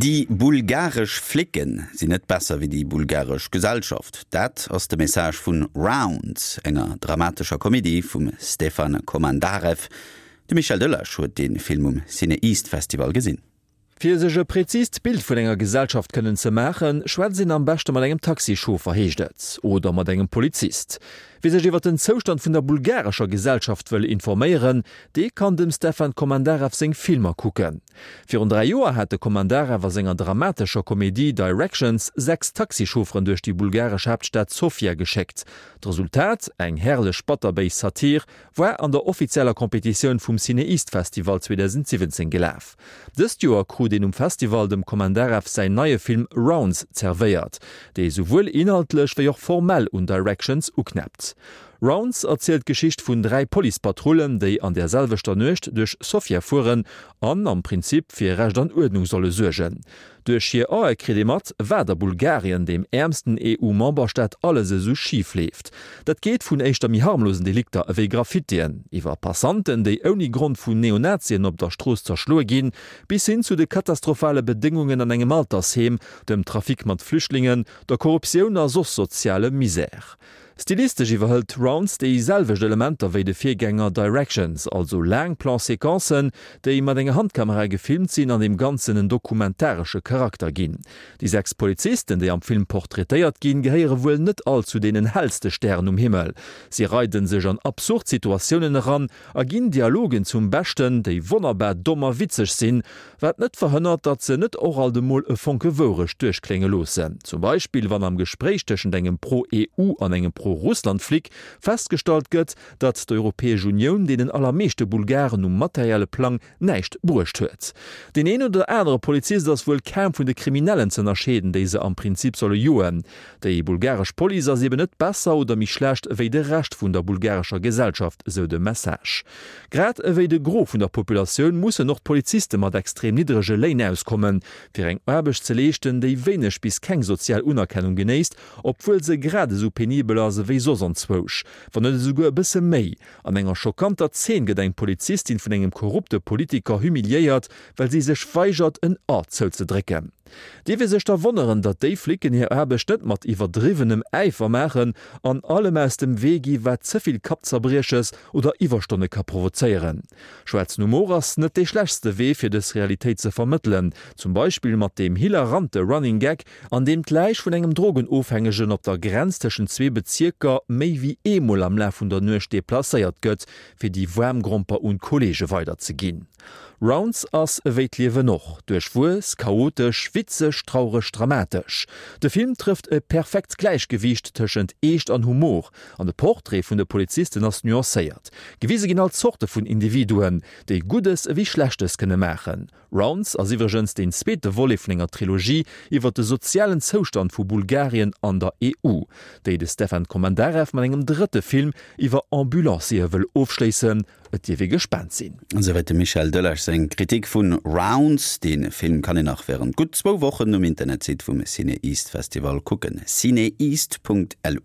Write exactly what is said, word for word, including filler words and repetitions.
Déi bulgaresch Flicken sinn net besser wéi déi bulgaresch Gesellschaft. Dat ass de Message vun Rounds, enger dramatescher Komedie vum Stefan Komandarev. De Michel Delage huet de Film um CinEast Festival gesinn. Fir sech e präzist Bild vun enger Gesellschaft kënnen ze maachen, schwätzt een am beschte mat engem Taxichauffer, heescht et, oder mat engem Polizist. Wie sech iwwer den Zoustand vun der bulgarescher Gesellschaft wëll informéieren, dee kann dem Stefan Komandarev seng Filmer kucken. Virun dräi Joer hat de Komandarev a senger dramatescher Komedie Directions sechs Taxichaufferen duerch déi bulgaresch Haaptstad Sofia geschéckt. D'Resultat, eng herrlech batterbéis Satir, war an der offizieller Kompetitioun vum CinEast Festival zweedausendsiwwenzéng gelaf. Dëst Joer krut een um Festival dem Komandarev säin neie Film Rounds zerwéiert, dee souwuel inhaltlech wéi och formell un Directions uknäppt. Rounds erzielt d'Geschicht vun dräi Policepatrullen, déi an der selwechter Nuecht duerch Sofia fueren an am Prinzip fir Recht an Uerdnung solle suergen. Duerch hir Ae kritt ee mat, wat a Bulgarien, deem äermsten E U-Memberstaat, alles esou schif leeft. Dat geet vun éischter méi harmlosen Delikter ewéi Graffitien, iwwer Passanten, déi ouni Grond vun Neonazien op der Strooss zerschloe ginn, bis hin zu de katastrophale Bedéngungen an engem Altersheem, dem Trafic mat Flüchtlingen, der Korruptioun a soss sozialem Misär. Stilistesch iwwerhëlt Rounds déi selwecht Elementer wéi de Virgänger Directions, also laang Plan-séquencen, déi mat enger Handkamera gefilmt sinn an deem Ganzen en dokumentaresche Charakter ginn. Déi sechs Polizisten, déi am Film portraitéiert ginn, gehéiere wuel net all zu deenen hellste Stären um Himmel. Si reiden sech an absurd Situatiounen eran a ginn Dialogen zum Beschten, déi wonnerbar domm a witzeg sinn, wat net verhënnert, datt se net och alt emol e Fonke Wourecht duerchklénge loossen. Zum Beispill wann am Gespréich tëschent engem Pro-E U an engem Pro-Russland-Flic festgestallt gëtt, datt d'Europäesch Unioun deenen allermeeschte Bulgaren um materielle Plang näischt bruecht huet. Deen een oder anere Polizist ass wuel kaum vun de Kriminellen z'ënnerscheeden, déi se am Prinzip solle joen. Déi bulgaresch Police ass eben net besser oder méi schlecht ewéi de Rescht vun der bulgarescher Gesellschaft, esou de Message. Grad ewéi de Gros vun der Populatioun mussen och d'Poliziste mat extrem niddrege Léin auskommen, fir eng Aarbecht ze leeschten, déi wéineg bis keng sozial Unerkennung genéisst, obwuel se grad esou penibel ass ewéi soss anzwousch, wann net esouguer e bësse méi. An enger schockanter Zeen gëtt eng Polizistin vun engem korrupte Politiker humiliéiert, well si sech weigert, en A zouzedrécken. Dierf ee sech da wonneren, datt déi Flicken hir Aarbecht net mat iwwerdriwwenem Äifer maachen an allem aus dem Wee gi wat ze vill Kappzerbrieches oder Iwwerstonne ka provozéieren? Schwaarzen Humor ass net dee schlechtste Wee fir dës Realitéit ze vermëttelen, zum Beispill mat deem hilarante Running Gag, an deem d'Läich vun engem Drogenofhängegen op der Grenz tëschent zwee Bezierker méi wéi eemol am Laf vun der Nuecht deplacéiert gëtt, fir déi waarm Gromper un d'Kolleege weiderzeginn. Rounds ass ewéi d'Liewen och, duerchwuess, chaotesch, witzeg, traureg, dramatesch. De Film trëfft e perfekt Gläichgewiicht tëschent Eescht an Humor, an de Portrait vun de Polizisten ass nuancéiert. Gewise ginn all Zorte vun Individuen, déi Guddes ewéi Schlechtes kënne maachen. Rounds ass iwwregens deen zweete Volet vun enger Trilogie iwwer de sozialen Zoustand vu Bulgarien an der E U, déi de Stefan Komandarev mat engem drëtte Film iwwer Ambulanciere wëll ofschléissen. Et dierf ee gespaant sinn. Esouwäit dem Michel Delage seng Kritik vun Rounds. De Film kann een nach wärend gutt zwou Wochen um Internetsite vum CinEast Festival kucken, cineast Punkt lu.